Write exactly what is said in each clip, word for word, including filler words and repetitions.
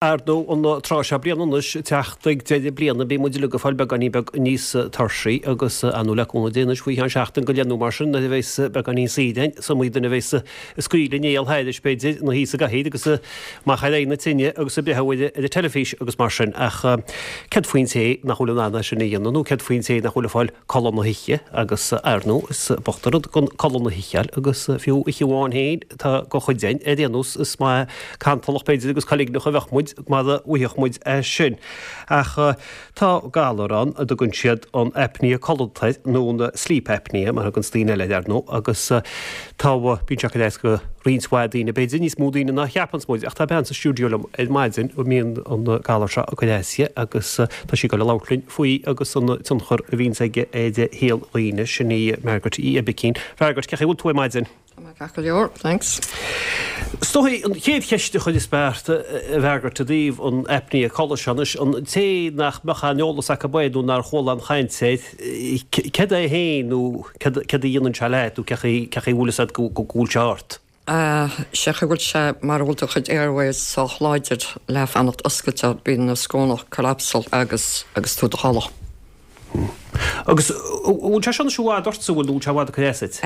Ar ndóigh, an tráth seo bliana anois, teacht ag deireadh bliana, bíonn muid uilig ag fáil beagáinín beag níos tuirsí agus ar ndóigh le cúnamh Dé anois faoi cheann seachtain go leith nó mar sin nuair a bheas beagáinín saoire againn, is iomaí duine a bheas ag scaoileadh néal thairis b'fhéidir, ina shuí sa gcathaoir agus amach ar aghaidh na tine agus ag breathnú ar an teilifís agus mar sin ach céard faoin té nach bhfuil in ann é sin a dhéanamh nó céard faoin té nach bhfuil ag fáil codladh na hoíche agus ar ndóigh is bocht an rud gan codladh na hoíche a fháil agus fiú oíche amháin féin tá do chuid againn ar aon nós is maith cantalach b'fhéidir agus coiligneach a bheadh muid mara bhfaigheadh muid é sin. Ach tá galar ann a dtugann siad an apnea codlata air, nó an sleep apnea mar a thuganns daoine eile air, ar ndóigh, agus tá, bíonn sé ag cur as go roinnt mhaith daoine, b'fhéidir níos mó daoine ná a cheapanns muid, ach tá bean sa stiúideo liom ar maidin a mbíonn an galar seo ag cur as di agus tá sí ag dul a labhairt linn faoi agus an tionchar a bhíonns aige ar shaol dhaoine, sin í Margaret Uí Oibicín. Mhargaret, cén chaoi a bhfuil tú ar maidin? Tá mé ceart go leor, thanks. Is dóigh an chéad cheist a chuirfeas mé ort, a Mhargaret, i dtaobh an apnea codladh seo anois, an té nach mbeadh aon eolas acu air nó nár chuala aon chaint air, céard é féin nó céard a dhéanann sé leat nó cé chaoi a bhfuil fhios agat go bhfuil sé ort? Sé chaoi bhfuil sé mara bhfuil do chuid airways sách láidir le fanacht oscailte, bíonn na scornach collapsal agus agus tú i do chodladh. Agus an bhfuil sé seo anois i bhfad ortsa, bhfuil, nó bhfuil sé i bhfad ag cur as duit?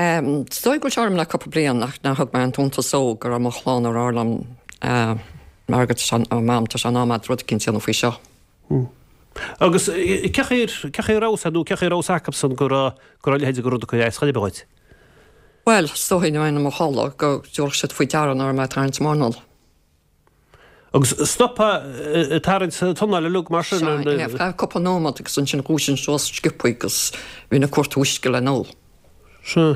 Is dóigh go bhfuil sé orm le cúpla bliain ach nár thug mé an t-untas dó go raibh mo chlann ag rá liom Margaret, tá sé, Mam, tá sé in am agat rud eicínt a dhéanamh faoi seo. Agus cé chaoi, cé chaoi a raibh fhios agat nó cé chaoi a raibh fhios acubsan go raibh, go raibh a leithéid de rud ag cur as chor ar bith dhuit? Bhuel, is dóigh nuair a bhínn i mo chodladh go dtabharfadh siad faoi deara nach raibh mé ag tarraingt m'anáil. Agus stopfá ag tarraingt t'anáil uilig mar sin? Sea, ar feadh cúpla nóiméad agus ansin dhúisinn suas sciobthaí agus bhínn ag cuartú uisce le n-ól. Sea.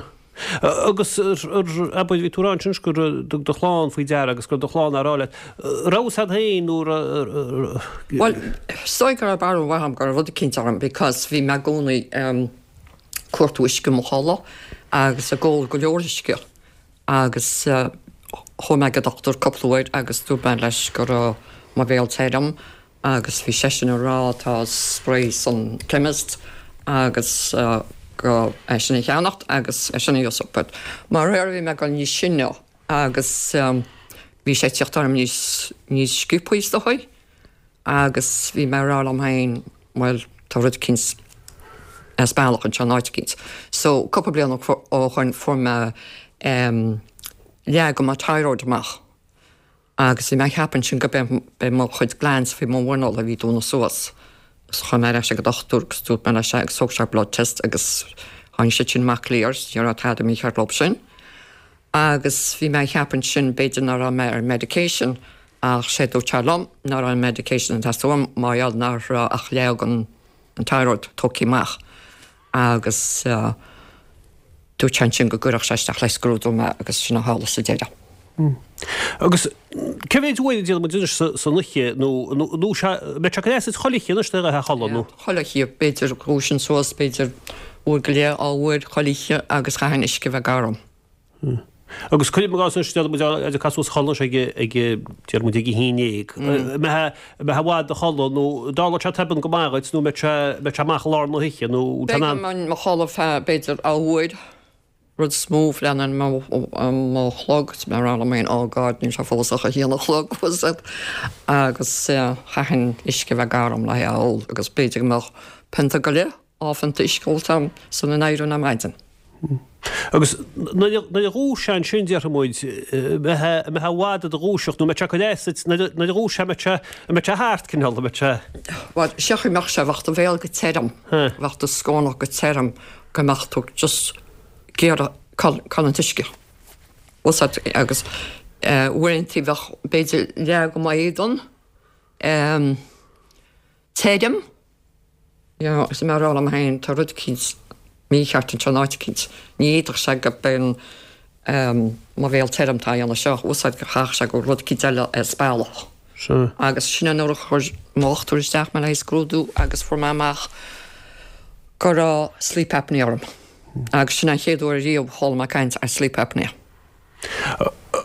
Agus abair, bhí tú ag rá ansin go dtug do chlann faoi deara agus go raibh do chlann á rá leat. Raibh fhios agat féin nó raibh. Bhuel, is dóigh go raibh barúil mhaith agam go raibh rud eicínt orm because bhí mé i gcónaí ag cuartú uisce i mo chodladh agus ag ól go leor uisce. Agus chuaigh mé ag an dochtúir cúpla uair agus dúirt mé leis go raibh mo bhéal tirim agus bhí seisean ag rá tá spray san chemist agus go é sin a cheannacht agus é sin a úsáid but mar réir bhí mé ag dul níos sine agus bhí sé ag tíocht orm níos níos sciobthaí is dóigh. Agus bhí mé ag rá liom féin, bhuel, tá rud eicínt as bealach anseo in áit eicínt. So, cúpla bliain ó shoin fuair mé em leath de mo thyroid amach agus bhí mé ag ceapadh ansin go b'é mo chuid glands faoi mo mhuineál a bhí dúnadh suas. So chuaigh mé ar ais ag an dochtúir agus dúirt mé leis é agus thóg sé blood test agus tháinig siad sin amach clear, ní raibh tada mícheart leo sin. Agus bhí mé ag ceapadh ansin b'fhéidir nach raibh mé ar medication Ach sé dúirt sé liom nach raibh an medication ag teastáil uaim mar gheall nach raibh ach leath den an thyroid tógtha amach agus dúirt sé ansin go gcuirfeadh sé isteach le scrúdú mé agus sin a tharla sa deireadh. Agus cé mhéid uair a déarfaidh muid anois san oíche nó nó sé mbeidh sé ag cur as duit chuile oíche anois do a chodladh nó? Chuile oíche, b'fhéidir dhúisinn suas b'fhéidir uair go leith, dhá uair chuile oíche agus chaithfinn uisce a bheith gar dom. Agus cuirim i gcás anois, déarfaidh muid ag casadh suas a chodladh anois ag, ag, déarfaidh muid ag a haon déag. An mbeifeá, an mbeifeá i bhfad i do chodladh nó an dtarlódh sé tobann go maith dhuit nó an mbeadh sé, mbeadh sé amach i lár na hoíche nó an Beidh mé i mo chodladh feadh b'fhéidir dhá uair, rud is mó, breathnaím ar mo chlog is mé ag rá liom féin oh God níl sé fós ach a haon a chlog was it agus chaithfinn uisce a bheith gar dom le é a ól agus b'fhéidir go mbeadh pionta go leith dhá phionta uisce ólta agam sula n-éireoinn ar maidin. Agus nuair a dhúiseofá ansin, déarfaidh muid, an mbeifeá i bhfad i do dhúiseacht nó an mbeadh sé ag cur as duit, nuair a dhúiseofá, an mbeadh sé, an mbeadh sé thart, cineál, an mbeadh sé. Bhuel, sé chaoi mbeadh sé, bheadh do bhéal go tirim, bheadh do scornach go tirim go mbeadh tú just ag iarraidh cá bhfuil an t-uisce. Bhfuil 's agat, agus uaireanta bheadh b'fhéidir leath de m'éadan tirim, You know, is mé ag rá liom féin, tá rud eicínt mícheart anseo in áit eicínt. Ní fhéadfadh sé go b'in mo bhéal tirim atá a dhéanamh seo, bhfuil 's agat go chaithfeadh sé go raibh rud eicínt eile as bealach. Sea. Agus sin an uair a chuir mo dhochtúir isteach mé le haghaidh scrúdú agus fuair mé amach go raibh sleep apnea orm. Agus sin an chéad uair ariamh a chuala mé caint ar sleep apnea.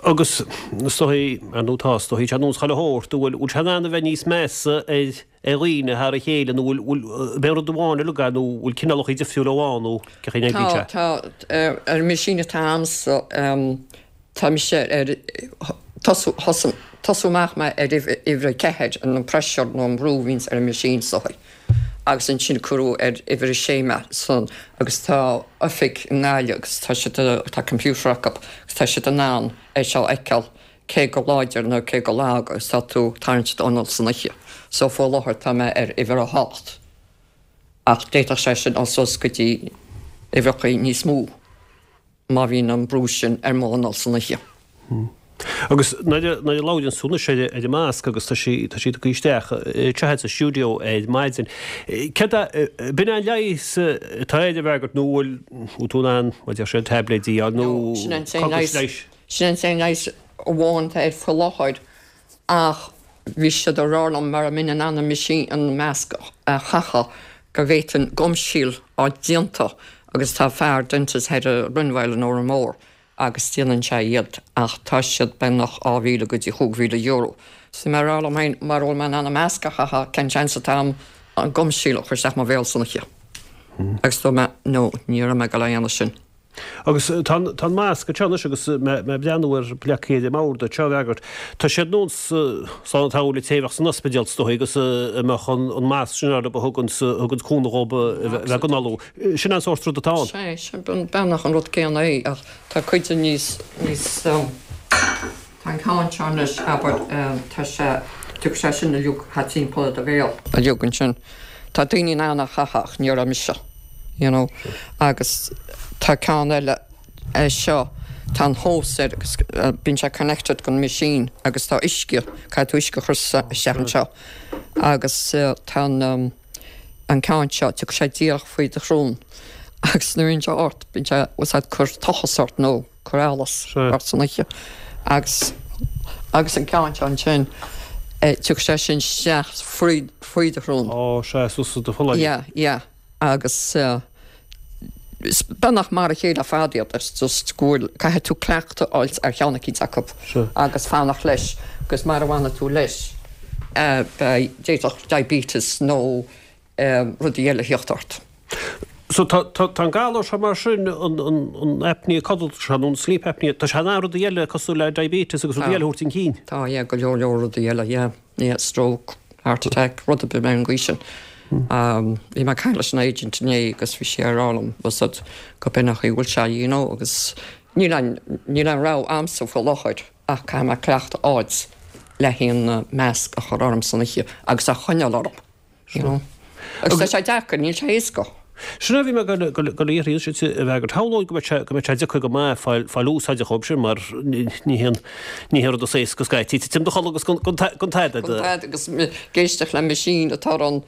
Agus is dóigh, ar ndóigh tá, is dóigh, sé nós chuile shórt, an bhfuil, bhfuil sé in ann a bheith níos measa ar ar dhaoine thar a chéile nó bhfuil, bhfuil, ab é an rud amháin uilig é nó bhfuil cineálacha difriúla ann nó cén chaoi a n-oibríonn sé? Tá, tá, ar an machine atá a'msa, tá mise ar, tosú, thosaigh, Tosú amach mé ar uimhir a ceathair an pressure nó an brú a bhíonns ar an machine is dóigh agus ansin cuireadh ar uimhir a sé mé san agus tá oifig i nGaillimh agus tá siad tá computer acu agus tá siad in ann é seo a fheiceáil cé chomh láidir nó cé chomh lag agus tá tú ag tarraingt d'anáil san oíche. So faoi láthair tá mé ar uimhir a hocht ach d'fhéadfadh sé sin dul suas go dtí uimhreacha níos mó má bhíonn an brú sin ar m'anáil san oíche. Agus nuair a labhraíonn tú anois ar an masc agus tá sí tá sí tugtha isteach anseo sa stiúideo ar maidin. Céard é, b'in é an leigheas atá air a bheith agat nó bhfuil bhfuil tú in ann, mar a deir siad, taibléidí a fháil nó No, sin an t-aon cogais leigheas, leighis? sin an t-aon leigheas amháin atá air faoi láthair ach bhí siad ag rá liom mara mbeinn in ann an machine, an masc a chaitheamh go bhféadfainn gum seal a fháil déanta agus tá fear dentist thoir i Rinville in Órán Mór agus déanann sé iad ach tá siad beagnach dhá mhíle go dtí chúig mhíle euro. So bhí mé ag rá liom féin mara bhfuil mé in ann an masc a chaitheamh cén seans atá agam an gum seal a chur isteach mo bhéal san oíche? Agus dúirt mé no ní raibh mé ag dul a dhéanamh sin. Agus tá an masc anseo anois agus mé ag breathnú ar leagtha ar an mbord anseo, a Mhargaret, tá siad nós slán le té a bheadh san ospidéal is dóigh agus a mbeadh an masc sin orthu a thugann thugann cúnamh dhóibh a bheith ag análú. Sin an sórt rud atá ann. Sea, sin beagnach an rud céanna é ach tá cuid de níos, níos, tá an ceann seo anois, abair, tá sé, tiocfaidh sé sin uilig thart timpeall ar do bhéal uilig ansin. Tá daoine in ann a chaitheamh ach ní raibh mise. You know agus tá ceann eile é seo, tá an hose air agus bíonn sé connected don machine agus tá uisce, caithfidh tú uisce a chur isteach anseo agus tá an an ceann seo, tiocfaidh sé díreach faoi do shrón agus nuair a bhíonn sé ort, bíonn sé, bhfuil ag cur tochas ort nó cur allas ort san oíche agus agus an ceann seo ansin, tiocfaidh sé sin isteach faoi faoi do shrón. Ó, sea, suas i do pholláin. Yeah, yeah. Agus is beagnach mar a chéile ar fad iad, it's just go bhfuil, caithfidh tú cleachtadh a fháilt ar cheann eicínt acu agus fanacht leis agus mara bhfanfaidh tú leis beidh, d'fhéadfadh diabetes nó rudaí eile a thíocht ort. So tá, tá, tá an galar seo mar sin, an, an, an apnea codlata seo nó an sleep apnea, tá sé in ann rudaí eile cosúil le diabetes agus rudaí eile a thabhairt chun cinn. Tá, yeah, go leor leor rudaí eile, yeah, yeah, stroke. Heart attack, rud ar bith ar an gcaoi sin. Bhí mé ag caint leis an agent inné agus bhí sí ag rá liom bhfuil fhios agat go b'in an chaoi a bhfuil sé you know agus níl aon níl aon rogha a'msa faoi láthair ach caithfidh mé cleachtadh a fháilt le haon mask a chur orm san oíche agus a choinneáil orm you know. Agus tá sé deacair, níl sé éasca. Sin é a bhí mé ag dul a iarraidh anois a Mhargaret. Shamhlóinn go mbeadh sé go mbeadh sé deacair go maith fáil fáil úsáide dhóibh sin mar ní haon ní haon rud is éasca scaití titim i do chodladh agus gan gan tada Gan tada agus ag éisteacht le machine atá ann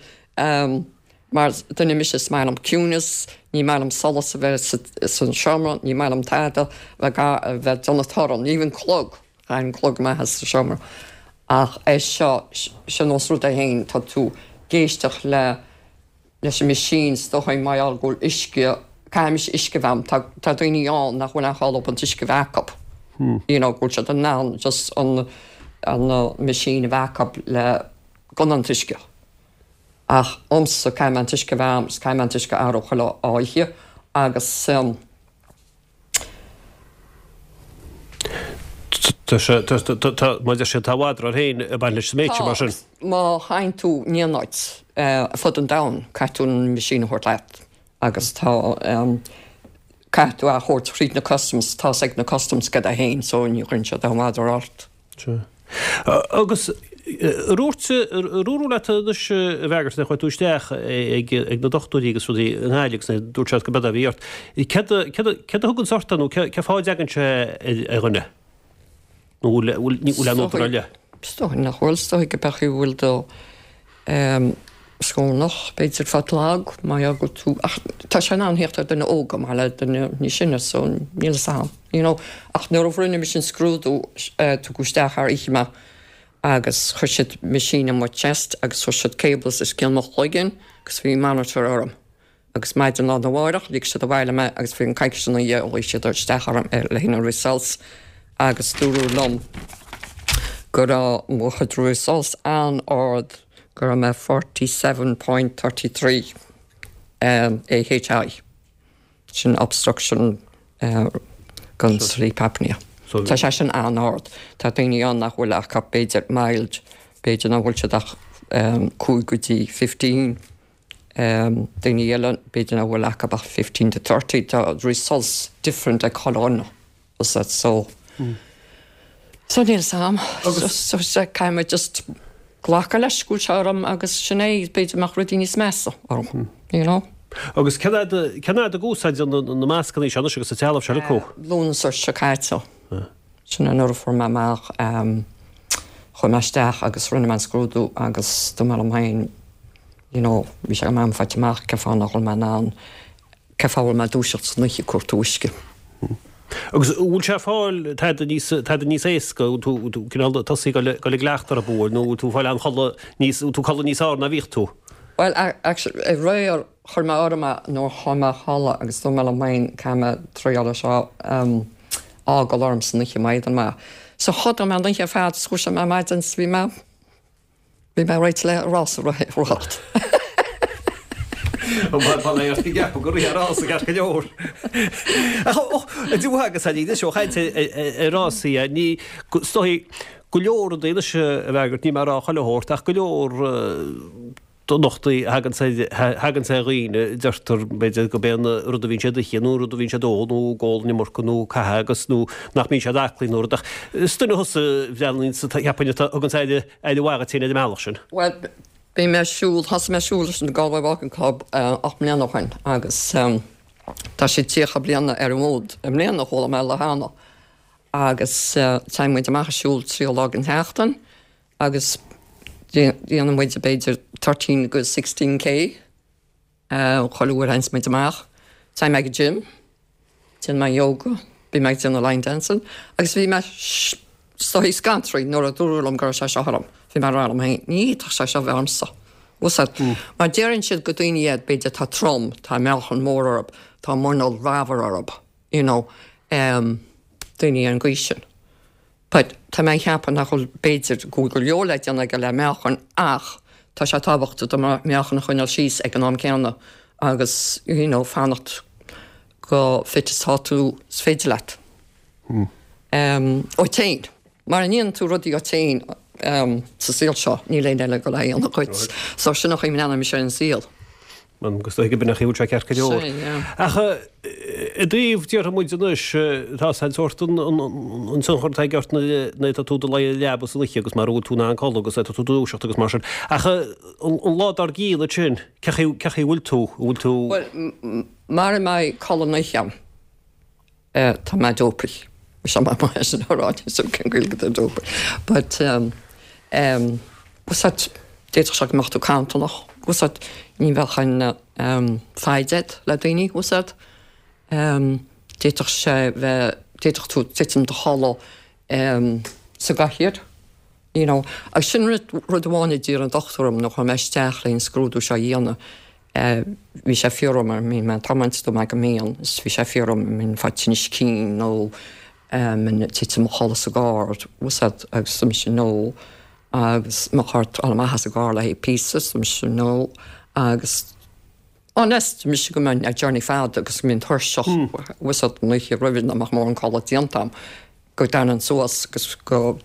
mar duine mise is maith liom ciúnas, ní maith liom solas a bheith sa san seomra, ní maith liom tada a bheith a bheith ag déanamh torann, even clog, chaithfinn clog amach as an seomra. Ach é seo, seo nós rud é féin, tá tú ag éisteacht le leis an machine is dóigh mar gheall go bhfuil uisce, caithfidh mise uisce a bheith a'm, tá tá daoine ann nach bhfuil aon chall leo an t-uisce a bheith acu, you know go bhfuil siad in ann just an an machine a bheith acu le gan an t-uisce. Ach a'msa caithfidh mé an t-uisce a bheith a'm agus caithfidh mé an t-uisce a athrú chuile oíche agus. Tá sé, tá, tá, tá, mar a deir siad, tá mhadra air féin ag baint leis sa méid sin, Tá, mar sin. agus má théann tú in aon áit ar fud an domhain, caithfidh tú an machine a thabhairt leat agus tá, caithfidh tú é a thabhairt thríd na customs, tá 's ag na customs cad é féin so ní chuireann siad aon mhadra ort. Sea. Agus ar dhúirt, ar dúradh leat anois a Mhargaret nuair a chuaigh tú isteach ag, ag na dochtúirí agus rudaí i nGaillimh agus dúirt siad go b'éard a bhí ort, céard a, céard a, céard a thugann ort é nó cé, cé fáth a dtagann sé ar, ar dhuine? Nó bhfuil, bhfuil, ní, bhfuil aon údar eile? Is dóigh nach bhfuil, is dóigh go b'é an chaoi a bhfuil do scornach, b'fhéidir fad lag, mar gheall go bhfuil tú, ach tá sé in ann theacht ar duine óg chomh maith le duine níos sine so níl fhios a'm, you know. Ach nuair a rinne mise an scrúdú, tugadh isteach thar oíche mé agus chuir siad machine in mo chest agus chuir siad cables os cionn mo chloigeann agus bhí monitor orm. Agus maidin lá arna mháireach lig siad abhaile mé agus faoi cheann coicíse ina dhiaidh ghlaoigh siad isteach orm le haghaidh na results agus dúradh liom go raibh mo chuid results an-ard, go raibh mé forty seven point thirty three AHI, sin obstruction gan sleep apnea. Tá sé sin an-ard. Tá daoine ann nach bhfuil ach b'fhéidir mild, b'fhéidir nach bhfuil siad ach cúig go dtí fifteen. Daoine eile b'fhéidir nach bhfuil acu ach fifteen to thirty. Tá results different ag chuile dhuine. So so níl 's a'm. So caithfidh mé just glacadh leis go bhfuil sé orm agus sin é, b'fhéidir mbeadh rudaí níos measa orm, you know. Agus cén fhad cén fhad ag úsáid na mascanna seo anois agus an trealamh seo acu? Lúnasa seo caite. Sin an uair a fuair mé amach, chuaigh mé isteach agus rinne mé an scrúdú agus dúirt mé liom féin, you know, bhí sé go maith agam faighte amach cén fáth nach bhfuil mé in ann, cén fáth a bhfuil mé ag dúiseacht san oíche ag cuartú uisce. Agus an bhfuil sé ag fáil tada níos, tada níos éasca, an bhfuil tú, tú cineál tosaithe ag dul i gcleachtadh orthu, nó an bhfuil tú ag fáil an-chodladh níos, an bhfuil tú ag codladh níos fearr ná bhíodh tú? Bhuel, actually, aréir chuir mé orm é nuair a chuaigh mé a chodladh agus dúirt mé liom féin caithfidh mé triail é seo a fhágáil orm san oíche má fhéadann mé. So chodail mé an oíche ar fad is dhúisigh mé ar maidin is bhí mé, bhí mé réidh le rás a rith. Bhuel ag ceapadh go rith rás i gceart go leor. Ach dútha agus a ní seo chaint ar rásaí ní is dóigh go leor rudaí anois a bhfreagairt, níl mé ag rá chuile shórt ach go leor dochtúirí a thagann ar dhaoine, deirtear b'fhéidir gurb é an rud a bhíonn siad ag ithe nó an rud a bhíonn siad ag ól nó ag ól an iomarca nó ag caitheamh agus nó nach mbíonn siad aclaí nó rud ach is duine thusa a bhreathnaíonn sa cheapfainn atá thugann aire aire mhaith dhuit féin ar an mbealach sin. Bhuel, bhí mé ag siúl, thosaigh mé ag siúl leis an Galway Walking Club ocht mbliana ó shin agus tá siad tríocha bliana ar an bhfód i mbliana, chuala mé le cheana agus téann muid amach ag siúl trí lá den tseachtain agus déanann muid b'fhéidir thirteen go sixteen K chuile uair a théanns muid amach. Téim ag an gym, déanann mé yoga, bím ag déanamh line dancing agus bhí mé is dóigh scanraithe nuair a dúradh liom go raibh sé seo orm. Bhí mé ag rá liom féin, ní fhéadfadh sé seo bheith ormsa. Bhfuil 's a'd? Mar deireann siad go daoine iad b'fhéidir atá trom, tá meáchan mór orthu, tá muineál ramhar orthu, you know, daoine ar an gcaoi sin. But tá mé ag ceapadh nach bhfuil, b'fhéidir go bhfuil go leor le déanamh aige le meáchan ach tá sé tábhachtach do meáchan a choinneáil síos ag an am céanna agus you know fanacht chomh fit is atá tú is féidir leat. Um, uait féin. Mara ndéanann tú rudaí uait féin um, sa saol seo, níl éinne eile ag dul a dhéanamh dhuit. So sin an chaoi a mbreathnaíonn mise ar an saol. Agus dóigh go b'in an chaoi a bhfuil sé ceart go leor. Sin, yeah. Ach i dtaobh, déarfaidh muid anois, tá an sórt an tionchar atá aige ort nuair atá tú i do luí ar an leaba san oíche agus mara bhfuil tú in ann codladh agus atá tú ag dúiseacht agus mar sin. Ach an lá dár gcionn ansin, cén chaoi a bhfuil tú? An bhfuil tú. Bhuel, mara mbeidh codladh na hoíche agam, tá mé dopey. Seo mar mar sin a rá, níl 's agam cén Ghaeilge do dopey. But, um, um, bhfuil 's a'd, d'fhéadfadh sé go mbeadh tú cantalach, bhfuil 's a'd, ní bheadh an um, foighid a'd le daoine, bhfuil 's a'd. Um, d'fhéadfadh sé bheith, d'fhéadfadh tú titim i do chodladh um, sa gcathaoir, you know. Agus sin rud, rud amháin a d'iarr an dochtúir orm nuair a chuaigh mé isteach le an scrúdú seo a dhéanamh, Bhí sé ag fiafraí orm an mbím ag tiomáint dúirt mé go mbíonn is bhí sé ag fiafraí orm an mbínn ag fáil tinnis cinn nó an mbínn ag titim i mo chodladh sa gcarr bhfuil 's a'd agus dúirt mise no agus mo charr dul amach as an gcarr le haghaidh píosa dúirt mise no agus unless dúirt mise go mbeinn ar journey fada agus go mbínn tuirseach bhfuil 's a'd an oíche roimhe nach mbeadh mórán codladh déanta agam go dtanainn suas agus go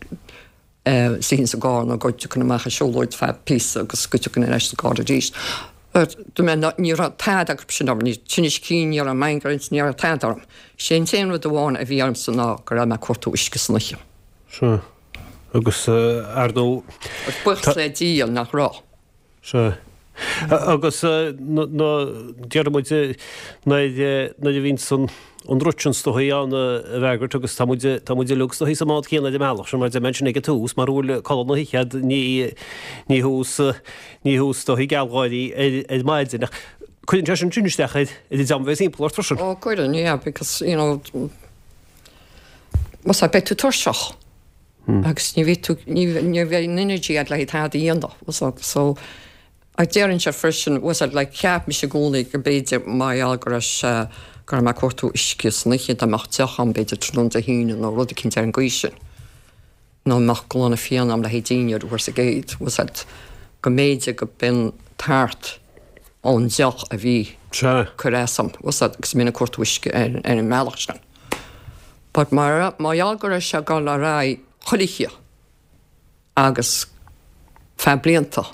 suífinn sa gcarr nó go dtiocfainn amach ag siúlóid feadh píosa agus go dtiocfainn ar ais sa gcarr arís. But dúirt mé ná ní raibh tada acu sin orm, ní tinnis cinn, ní raibh migraines, ní raibh tada orm. Sé an t-aon rud amháin a bhí ormsa ná go raibh mé ag cuartú uisce san oíche. Sea. Agus ar ndóigh. Agus buíochas le Dia nach raibh. Sea. Agus na, déarfaidh muid, nuair a bhíonns an rud sin is dóigh ann a Mhargaret agus tá muid, tá muid uilig is dóigh sa mbád céanna ar an mbealach sin mar a deir mé ansin ag an tús, mara bhfuil codladh na hoíche agat ní, ní thú is, ní thú is dóigh gealgháirí ar, ar maidin ach cuireann sé sin sin isteach ar, ar an dream a bheas timpeall ort freisin. Ó cuireann, yeah, because, you know, más ea beidh tú tuirseach agus ní bheidh tú, ní, ní bheidh an energy agat le haghaidh tada a dhéanamh, so, Ach déarfainnse freisin, bhfuil 's a'd, like, cheap mise i gcónaí go mb'fhéidir mar gheall go raibh sé, go raibh mé ag cuartú uisce san oíche, dá mbeadh deoch a'm b'fhéidir tráthnóna Dé hAoine nó rud eicínt ar an gcaoi sin, nó mbeadh gloine fíona a'm le haghaidh dinnéar uair sa gcéad, bhfuil 's a'd, go mb'fhéidir go b'in tart ón deoch a bhí Sea. cur as dom, bhfuil 's a'd, agus mé ag cuartú uisce ar, ar an mbealach sin. But mar má gheall go raibh sé ag dul ar aghaidh chuile oíche agus feadh blianta.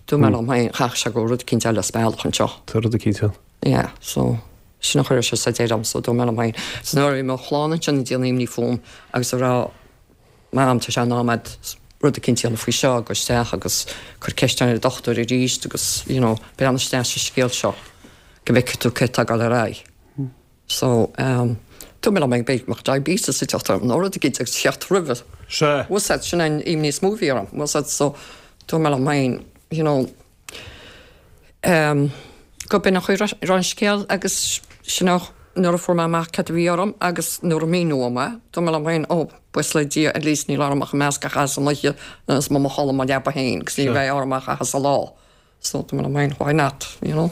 Dúirt mé liom féin chaithfeadh sé go raibh rud eicínt eile as bealach anseo. Tá rud eicínt ann. Yeah, so sin a chuir sé sa deireadh orm, so dúirt mé liom féin. So nuair a bhí mo chlann ansin ag déanamh imní fúm agus ag rá Mam, tá sé in am a'd rud eicínt a dhéanamh faoi seo, gabh isteach agus cuir ceist ar an dochtúir arís agus, you know, breathnaigh isteach sa scéal seo go bhfeicfidh tú céard atá ag dul ar aghaidh. So, um, dúirt mé liom féin b'fhéidir go mbeadh diabetes ag teacht orm nó rud eicínt agus theacht roimhe. Sea. Bhfuil 's a'd, sin an imní is mó a bhí orm, bhfuil 's a'd, so dúirt mé liom féin, you know, um, go b'in an chaoi a raibh an scéal agus sin a nuair a fuair mé amach cad a bhí orm agus nuair a míníodh dom é, dúirt mé liom féin, oh, buíochas le Dia, at least níl orm ach an masc a chaitheamh san oíche agus mé i mo chodladh i mo leaba féin agus ní bheidh orm ach a chaitheamh sa lá. So dúirt mé liom féin, why not, you know?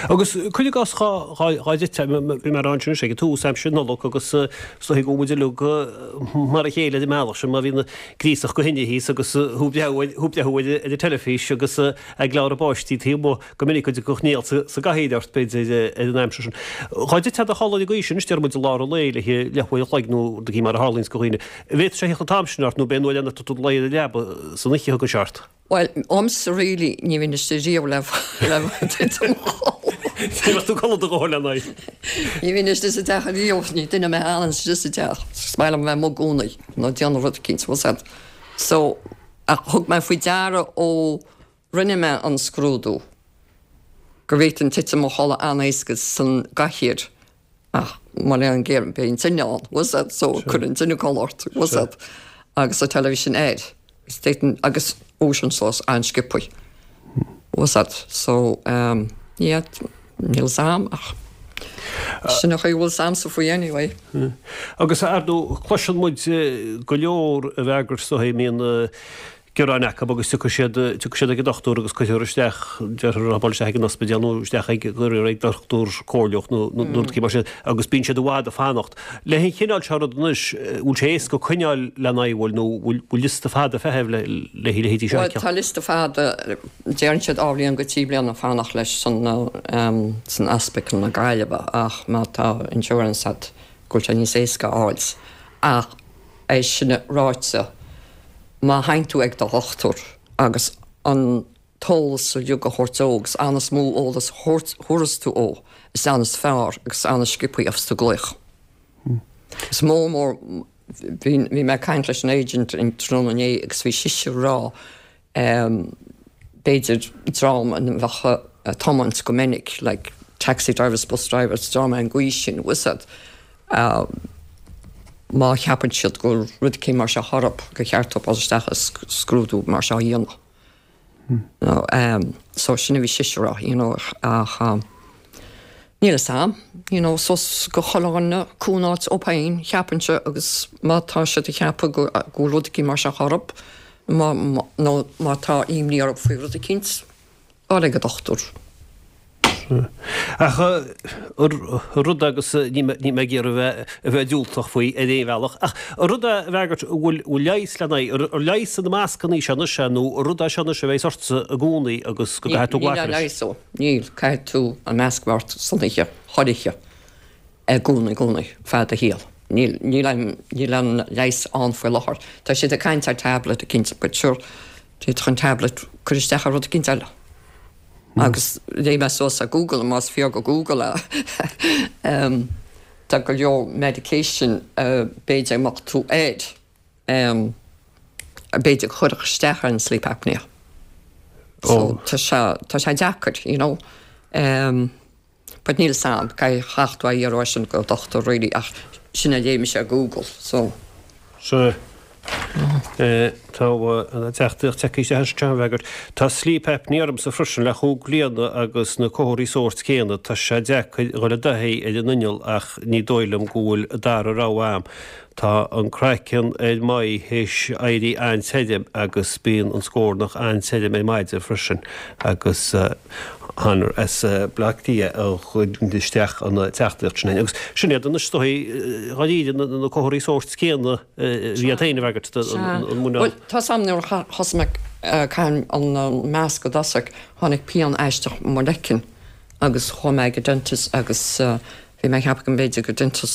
Agus cuir i gcás dhá dhá dtitfeá, bhí mé ag rá ansin anois ag an tús aimsir Nollag agus is dóigh go bhfuil muid uilig mar a chéile ar an mbealach sin má bhíonn gríosach go thine thíos agus thú ag breathnú thú ag breathnú ar an teilifís agus ag labhairt na bpáistí taobh amuigh go minic go dtiocfadh néal sa gcathaoir ort b'fhéidir ar an aimsir sin. Dhá dtitfeá i do chodladh ar an gcaoi sin anois déarfaidh muid i lár an lae le leathuair an chloig nó rud éigin mar a tharlaíonns go dhaoine. An bhféadfadh sé a theacht an t-am sin ort nó b'é nuair a dhéanann tú do luí ar an leaba san oíche a thugann sé ort? Bhuel, ormsa really, ní bhíonn istigh riamh le le titim i mo chodladh. Ní bheadh tú ag codladh do dhóthain lena aghaidh. Ní bhíonn istigh sa teach riamh, ní duine mé a fhanann istigh sa teach. Is maith liom a bheith amuigh i gcónaí, nó ag déanamh rud eicínt, bhfuil 's a'd. So, ach thug mé faoi deara ó rinne mé an scrúdú go bhféadfainn titim i mo chodladh an-éasca san gcathaoir ach mo léan géar beidh an tine ann, bhfuil 's a'd, so cuireann an tine codladh ort, bhfuil 's a'd, agus an teilifís air. D'fhéadfainn agus dhúiseoinn suas an-sciobthaí. Bhfuil 's a'd, so um, yeah, níl 's a'm ach sin an chaoi a bhfuil 's a'msa faoi anyway. Agus ar ndóigh, cloiseann muid go leor a bhfreagairt is dóigh, mbíonn gearáin acu agus tiocfaidh siad, tiocfaidh siad ag an dochtúir agus cuirfear isteach, déarfar dul isteach ag an ospidéal nó isteach ag, ag dochtúir comhairleach nó nó rud éigin mar sin agus bíonn siad i bhfad ag fanacht. Le an chineál seo rud anois, bhfuil sé éasca coinneáil lena aghaidh, bhfuil, nó bhfuil bhfuil liosta fada feithimh le le leithéidí seo a Bhuel, fheiceáil? tá liosta fada, deireann siad dhá bhliain go trí bliana fanacht leis san san ospidéal na Gaillimhe ach má tá insurance agat go bhfuil sé níos éasca a fháil. Ach é sin ráite, má théann tú ag do dhochtúir agus an t-eolas uilig a thabhairt dó agus an is mó eolas a thabharfas tú dó, is ann is fearr agus an is sciobthaí a bheas tú glaoch. Is mó mór, bhí bhí mé ag caint leis an agent an tráthnóna inné agus bhí sise ag rá b'fhéidir dream a bheadh ag tiomáint go minic, like taxi drivers, bus drivers, dream ar an gcaoi sin, bhfuil 's a'd. Má cheapann siad go bhfuil rud eicínt mar seo orthu, gur cheart dóibh dul isteach is scrúdú mar seo a dhéanamh. So sin a bhí sise a rá, you know, ach níl fhios a'm, you know, suas go chuile dhuine cúnant dóibh féin, cheapfainnse, agus má tá siad ag ceapadh go bhfuil rud eicínt mar seo orthu, nó má tá imní orthu faoi rud eicínt, dul ag an dochtúir. Ach rud agus níl mé ag iarraidh a bheith diúltach faoi ar aon bhealach, ach rud a fhreagairt, an bhfuil leigheas lena aghaidh, ar leigheas na mascanna seo anois é nó rud é seo anois a bheas ortsa i gcónaí agus go gcaithfidh tú glacadh leis? Níl leigheas dó, níl. Caithfidh tú an masc a bheith ort san oíche, chuile oíche, i gcónaí, i gcónaí, feadh do shaoil. Níl, níl an, níl an leigheas ann faoi láthair. Tá siad ag caint ar tablet eicínt, but sure, d'fhéadfadh an tablet cur isteach ar rud eicínt eile. Agus léigh mé suas ar Google, más fíor do Google é, tá go leor medication b'fhéidir a mbeadh tú air, b'fhéidir a chuirfeadh isteach ar an sleep apnea. So tá sé, tá sé deacair, you know. But níl 'fhios a'm, caithfidh tú a iarraidh sin go dochtúir really ach sin a léigh mise ar Google so. Sea. Tá an teachtaireacht tagtha isteach anseo a fhreagairt. Tá sleep apnea ormsa freisin le chúig bliana agus na comharthaí sóirt céanna. Tá sé deacair dhul i dtaithí ar an inneall ach ní dóigh liom go bhfuil dara rogha a'm. Tá an craiceann ar m'aghaidh théis éirí an-tirim agus bíonn an scornach an-tirim ar maidin freisin agus Honor as Baile Átha Cliath a chuir isteach an teachtaireacht sin. Agus sin iad anois is dóigh dháiríre na comharthaí sóirt céanna a bhí agat féin a fhreagairt an muineál. Bhuel, tá 's a'm nuair a thosaigh mé ag caitheamh an masc i dtosach, tháinig pian aisteach i mo leiceann agus chuaigh mé ag an dentist agus Bhí mé ag ceapadh go mb'fhéidir gur tinneas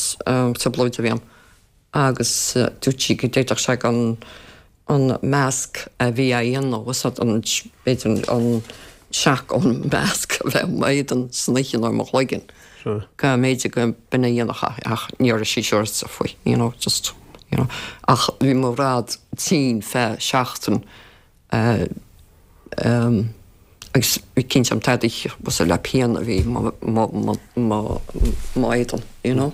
trioblóid a bhí ann agus dúirt sí go d'fhéadfadh sé an an masc a bhí á dhéanamh is an b'fhéidir an seac ón masc a bheith i m'éadan san oíche nó i mo chloigeann. Go mb'fhéidir go b'in a dhéanfadh é ach ní raibh sí siúráilte faoi, you know, just, you know. Ach bhí mo bhráid tinn feadh seachtain agus bhí cinnte am tadaí was le pian a bhí m'éadan, you know.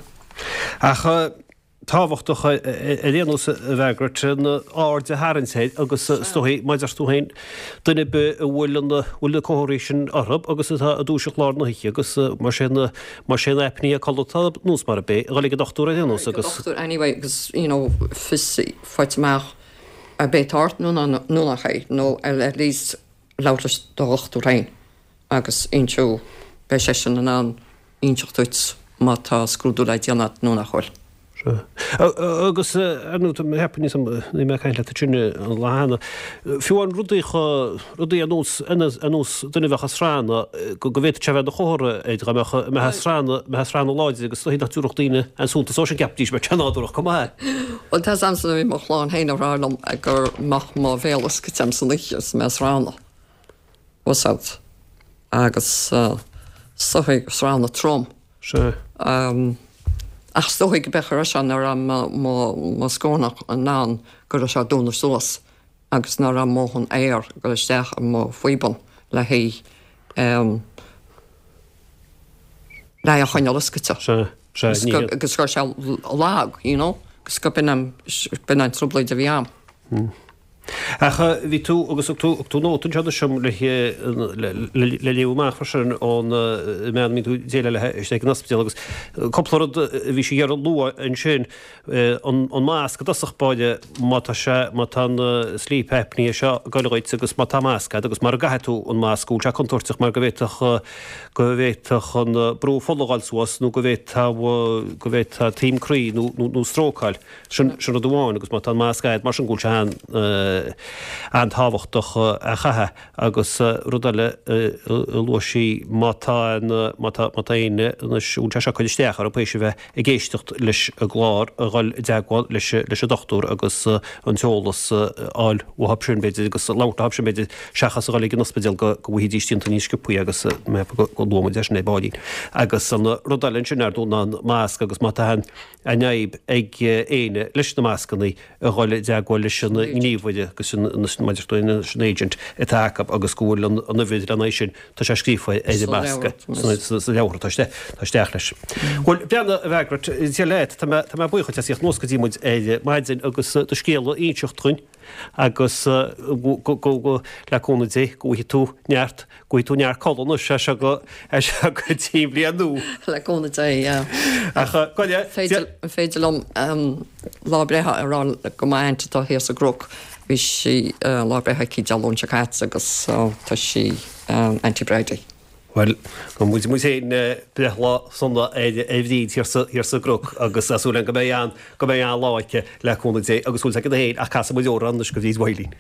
Ach tábhachtach ar aon nós a Mhargaret an aird a tharraingt air agus is dóigh mar a deir tú féin duine ar bith a bhfuil an bhfuil na comharthaí sin orthu agus atá ag dúiseacht lár na hoíche agus mar sin mar sin apnea codlata nós mar a b'é a dhul ag an dochtúir ar aon nós agus dochtúir anyway agus you know fios faighte amach ar bith atá ort nó nó nach é nó at least labhairt leis do dhochtúir féin agus inseó beidh seisean in ann inseacht duit má tá scrúdú le déanamh nó nach bhfuil. Agus ar ndóigh mé cheapfainn níos ní mé ag caint leat ansin an lá cheana fiú an rudaí rudaí ar nós ar nós duine a bheadh ag srannadh go go bhféadfadh sé a bheith ina chomhartha air dá mbeadh mbeadh ag srannadh mbeadh ag srannadh láidir agus nach dtabharfadh daoine aon suntas dó sin cheapfaidís go mbeadh sé nádúrach chomh maith. Bhuel tá 's a'msa bhí mo chlann féin ag rá liom go mbeadh mo bhéal oscailte a'm san oíche is mé ag srannadh. Was out. Agus is dóigh srannadh trom. Sea. Ach is dóigh go b'fhéidir go raibh sé nach raibh mo scornach in ann go raibh sé ag dúnadh suas agus nach raibh a ndóthain aer ag dul isteach i mo phíobán le haghaidh le é a choinneáil oscailte. Sea, sea, ní hé. Agus go raibh sé lag, you know, agus go b'in an b'in an trioblóid a bhí a'm. Ach bhí tú, agus thug tú, thug tú nóta anseo anois dom le le léamh amach freisin ón mbean a mbíonn tú ag déileáil léi istigh ag an ospidéal agus cúpla rud a bhí sí ag iarraidh a lua ansin, an an masc i dtosach báire má tá sé, má tá an sleep apnea seo ag goil dhuit agus má tá masc agat agus mara gcaithfidh tú an masc go bhfuil sé contúirteach mar go bhféadfadh go bhféadfadh an brú fola a dhul suas nó go bhféadfadh go bhféadfadh taom croí nó nó stróc a fháil. Sin sin rud amháin agus má tá an masc agat mar sin go bhfuil sé an-tábhachtach a chaitheamh agus rud eile a luaigh sí má tá an má tá má tá éinne anois a bhfuil sé seo ag cur isteach orthu théis a bheith ag éisteacht leis an gclár a dhul i dteagmháil leis leis an dochtúir agus an t-eolas a fháil uathu sin b'fhéidir agus labhairt leo sin b'fhéidir seachas a dhul ag an ospidéal go go bhfaighidís déanta níos sciobthaí agus mé go go luaigh muid é sin ar baillín. Agus an rud eile ansin ar ndóigh ná an masc agus má tá an an fhadhb ag éinne leis na mascanna a dhul i dteagmháil leis an ngníomhaire agus an maidir leis an agent atá acu agus go bhfuil an uimhir lena aghaidh sin, tá sé scríofa ar an masc sa leabhar atá isteach leis. Bhuel, breathnaigh, a Mhargaret, Dia leat, tá mé tá mé buíoch duit as theacht anuas go dtí muid ar maidin agus do scéal a inseacht dhúinn agus go go go le cúnamh Dé go bhfaighidh tú neart Go bhfaighidh tú neart codladh anois, as seo go, as seo go dtí an bhliain nua. Le cúnamh Dé, yeah. Ach go le, Féidir, an féidir liom lá breithe a rá go m'aint atá thíos i gCnoc, bhí sí, lá breithe aici Dé Luain seo caite agus tá sí Auntie Bridie. Bhuel, go muid muid féin breithlá sona ar ar Bhríd thiar sa, thiar sa gCnoc agus tá súil agam go mbeidh an, go mbeidh an-lá aici le cúnamh Dé agus súil againn féin ach casfaidh muid amhrán anois go Bhríd Mhaidhcilín.